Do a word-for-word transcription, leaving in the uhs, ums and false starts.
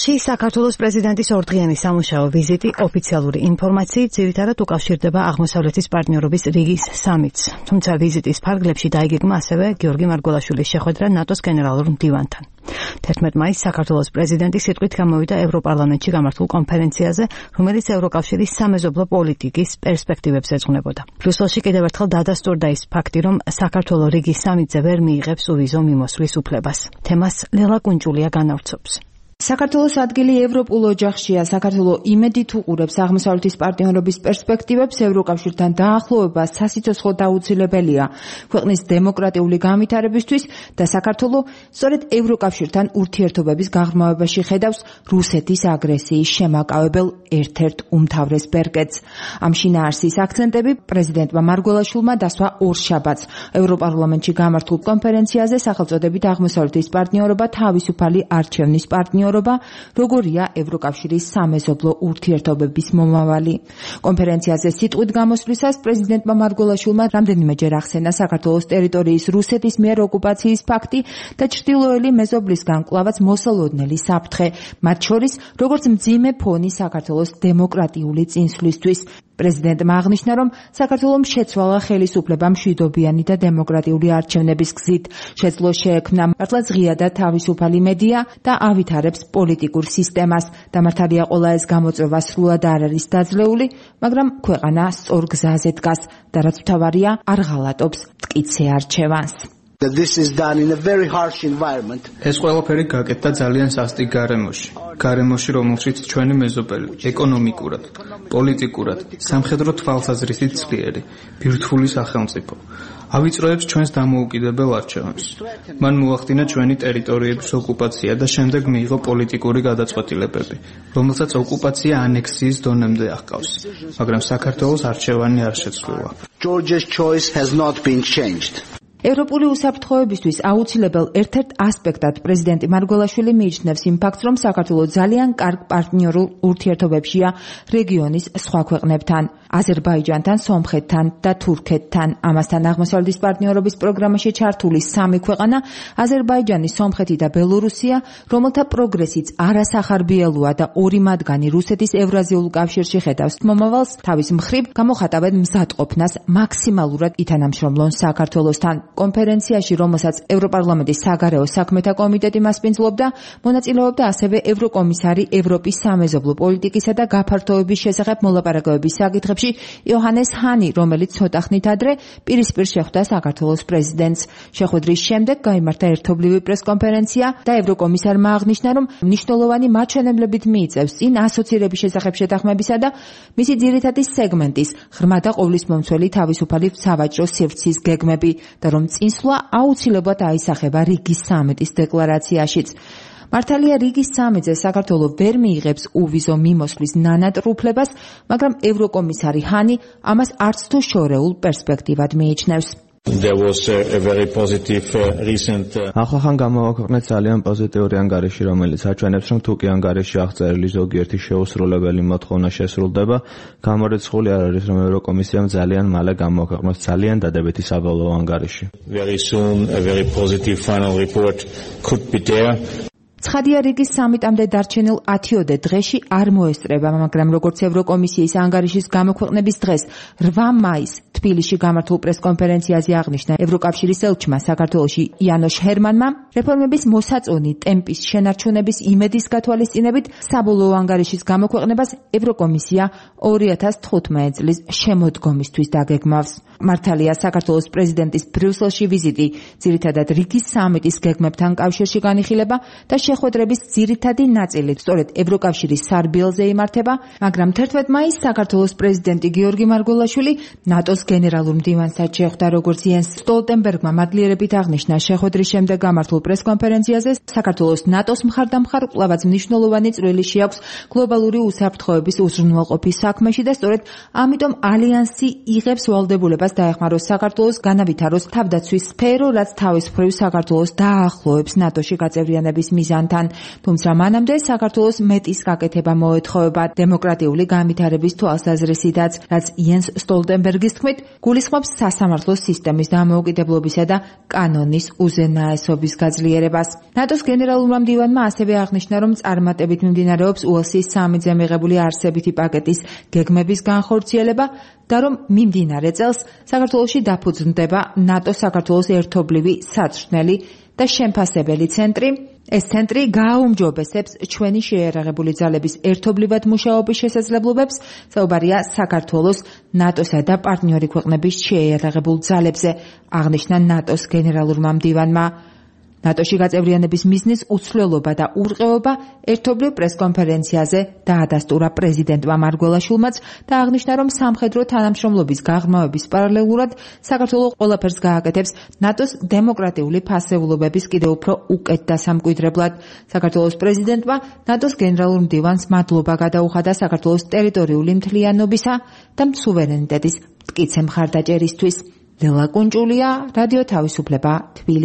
ბრიუსელში საქართველოს პრეზიდენტის ორდღიანი სამუშაო ვიზიტი ოფიციალური ინფორმაციით ძირითადად უკავშირდება აღმოსავლეთის პარტნიორობის რიგის სამიტს. თუმცა ვიზიტის ფარგლებში დაიგეგმა ასევე გიორგი მარგველაშვილის შეხვედრა ნატოს გენერალურ მდივანთან. თერთმეტ მაისს საქართველოს პრეზიდენტი სიტყვით გამოვიდა ევროპარლამენტში გამართულ კონფერენციაზე, რომელიც ევროკავშირის სამეზობლო პოლიტიკის პერსპექტივებს ეძღვნებოდა. ბრიუსელში კიდევ ერთხელ დადასტურდა ის ფაქტი, რომ საქართველო რიგის სამიტზე ვერ მიიღებს უვიზო მიმოსვლის უფლებას. თემას ლელა კუნჭულია განავრცობს. საქართველოს ადგილი ევროპულ ოჯახშია. საქართველო იმედით უყურებს აღმოსავლეთის პარტნიორობის პერსპექტივებს, ევროკავშირთან დაახლოება სასიცოცხლო დაუცილებელია ქვეყნის დემოკრატიული განვითარებისთვის და საქართველო სწორედ ევროკავშირთან ურთიერთობების გაღრმავებაში ხედავს რუსეთის აგრესიის შემაკავებელ ერთ-ერთ უმთავრეს ბერკეტს. ამ შინაარსის აქცენტები პრეზიდენტმა მარგველაშვილმა დასვა ორშაბათს ევროპარლამენტში გამართულ კონფერენციაზე სახელწოდებით აღმოსავლეთის პარტნიორობა თავისუფალი არჩევნის პარტნიორობა როგორია ევროკავშირის სამეზობლო ურთიერთობების მომავალი. კონფერენციაზე სიტყვით გამოსვლისას პრეზიდენტმა მარგველაშვილმა რამდენიმეჯერ ახსენა საქართველოს ტერიტორიის რუსეთის მიერ ოკუპაციის ფაქტი და ჩრდილოელი მეზობლისგან კვლავაც მოსალოდნელი საფრთხე, მათ შორის როგორც მძიმე ფონი საქართველოს დემოკრატიული წინსვლისთვის. პრეზიდენტმა აღნიშნა, რომ საქართველომ შეცვალა ხელისუფლება მშვიდობიანი და დემოკრატიული არჩევნების გზით. შეძლო შეექმნა მართლაც ღია და თავისუფალი მედია და ავითარებს პოლიტიკურ სისტემას. დამართალია ყველა ეს გამოწვევა სრულად არ არის დაძლეული, მაგრამ ქვეყანა სწორ გზაზე დგას და რაც მთავარია, არ ღალატობს მტკიცე არჩევანს. ეს ყველაფერი გაკეთდა ძალიან სასტიკ გარემოში. გარემოში, რომელშიც ჩვენი მეზობელი ეკონომიკურად, პოლიტიკურად, სამხედრო თვალსაზრისით ძლიერი, ბირთვული სახელმწიფო ავიწროებს ჩვენს დამოუკიდებელ არჩევანს. მან მოახდინა ჩვენი ტერიტორიების ოკუპაცია და შემდეგ მიიღო პოლიტიკური გადაწყვეტილებები, რომელსაც ოკუპაცია ანექსიის დონემდე აღყავს, მაგრამ საქართველოს არჩევანი არ შეცვლილა. ევროპული უსაფრთხოებისთვის აუცილებელ ერთ-ერთ ასპექტად პრეზიდენტი მარგველაშვილი მიიჩნევს იმ ფაქტს, რომ საქართველო ძალიან კარგ პარტნიორულ ურთიერთობებშია რეგიონის სხვა ქვეყნებთან, აზერბაიჯანთან, სომხეთთან და თურქეთთან. ამასთან აღმოსავლეთის პარტნიორობის პროგრამაში ჩართული სამი ქვეყანა, აზერბაიჯანი, სომხეთი და ბელორუსია, რომელთა პროგრესიც არასახარბიელოა და ორი მათგანი რუსეთის ევრაზიულ კავშირში ხედავს მომავალს, თავის მხრივ გამოხატავენ მზადყოფნას მაქსიმალურად ითანამშრომლონ საქართველოსთან. კონფერენციაში, რომელსაც ევროპარლამენტის საგარეო საქმეთა კომიტეტი მასპინძლობდა, მონაწილეობდა ასევე ევროკომისარი ევროპის სამეზობლო პოლიტიკისა და გაფართოების შესახებ მოლაპარაკებების საკითხებში იოჰანეს ჰანი, რომელიც ცოტა ხნით ადრე პირისპირ შეხვდა საქართველოს პრეზიდენტს. შეხვედრის შემდეგ გაიმართა ერთობლივი პრესკონფერენცია და ევროკომისარმა აღნიშნა, რომ მნიშვნელოვანი მაჩვენებლებით მიიწევს წინ ასოცირების შესახებ შეთანხმებისა და მისი ძირითადი სეგმენტის ღრმა და ყოვლისმომცველი თავისუფალი სავაჭრო სივრცის გეგმები და რომ წინსვლა აუცილებლად აისახება რიგის სამიტის დეკლარაციაშიც. მართალია რიგის სამიტზე საქართველო ვერ მიიღებს უვიზო მიმოსვლის ნანატრ უფლებას, მაგრამ ევროკომისარი ჰანი ამას არც თუ შორეულ პერსპექტივად მიიჩნევს. ახლახან გამოვაქვეყნეთ ძალიან პოზიტიური ანგარიში, რომელიც აჩვენებს, რომ თუ კი ანგარიში აღწერილი ზოგიერთი შეუსრულებელი მოთხოვნა შესრულდება, გამორიცხული არ არის, რომ ევროკომისიამ ძალიან მალე გამოვაქვეყნოს ძალიან დადებითი საბოლოო ანგარიში. ცხადია რიგის სამიტამდე დარჩენილ ათიოდე დღეში არ მოესწრება, მაგრამ როგორც ევროკომისიის ანგარიშის გამოქვეყნების დღეს რვა მაისს თბილისში გამართულ პრესკონფერენციაზე აღნიშნა ევროკავშირის ელჩმა საქართველოში იანოშ ჰერმანმა, რეფორმების მოსაწონი ტემპის შენარჩუნების იმედის გათვალისწინებით საბოლოო ანგარიშის გამოქვეყნებას ევროკომისია ორი ათას თხუთმეტი წლის შემოდგომისთვის დაგეგმავს. მართალია საქართველოს პრეზიდენტის ბრიუსელში ვიზიტი ძირითადად რიგის სამიტის გეგმებთან კავშირში განიხილება და შეხვედრების ძირითადი ნაწილი სწორედ ევროკავშირის სარბიელზე იმართება, მაგრამ თერთმეტ მაისს საქართველოს პრეზიდენტი გიორგი მარგველაშვილი ნატოს გენერალურ მდივანსაც შეხვდა, როგორც იენს სტოლტენბერგმა მადლიერებით აღნიშნა შეხვედრის შემდეგ გამართულ პრესკონფერენციაზე, საქართველოს ნატოს მხარდამხარ კვლავაც მნიშვნელოვანი წვლილი შეაქვს გლობალური უსაფრთხოების უზრუნველყოფის საქმეში და სწორედ ამიტომ ალიანსი იღებს ვალდებულებას დაეხმაროს საქართველოს განავითაროს თავდაცვის სფერო, რაც თავის მხრივ საქართველოს დაახლოებს ნატოში გაწევრიანების მიზანს. მდივანთან. თუმცა მანამდე საქართველოს მეტის გაკეთება მოეთხოვება დემოკრატიული განვითარების თვალსაზრისითაც, რაც იენს სტოლტენბერგის თქმით გულისხმობს სასამართლო სისტემის დამოუკიდებლობისა და კანონის უზენაესობის გაძლიერებას. ნატოს გენერალურმა მდივანმა ასევე აღნიშნა, რომ წარმატებით მიმდინარეობს უელსის სამიტზე მიღებული არსებითი პაკეტის გეგმების განხორციელება და რომ მიმდინარე წელს საქართველოში დაფუძნდება ნატო-საქართველოს ერთობლივი საცრჩნელი და შემფასებელი ცენტრი. ეს ცენტრი გააუმჯობესებს ჩვენი შეიარაღებული ძალების ერთობლივად მუშაობის შესაძლებლობებს, საუბარია საქართველოს, ნატოსა და პარტნიორი ქვეყნების შეიარაღებულ ძალებზე, აღნიშნა ნატოს გენერალურმა მდივანმა. ნატოში გაწევრიანების მიზნის უცვლელობა და ურყევობა ერთობლივ პრესკონფერენციაზე დაადასტურა პრეზიდენტმა მარგველაშვილმაც და აღნიშნა, რომ სამხედრო თანამშრომლობის გაღრმავების პარალელურად საქართველო ყველაფერს გააკეთებს ნატოს დემოკრატიული ფასეულობების კიდევ უფრო უკეთ დასამკვიდრებლად. საქართველოს პრეზიდენტმა ნატოს გენერალურ მდივანს მადლობა გადაუხადა საქართველოს ტერიტორიული მთლიანობისა და სუვერენიტეტის მტკიცე მხარდაჭერისთვის. ლელა კუნჭულია, რადიო თავისუფლება, თბილისი.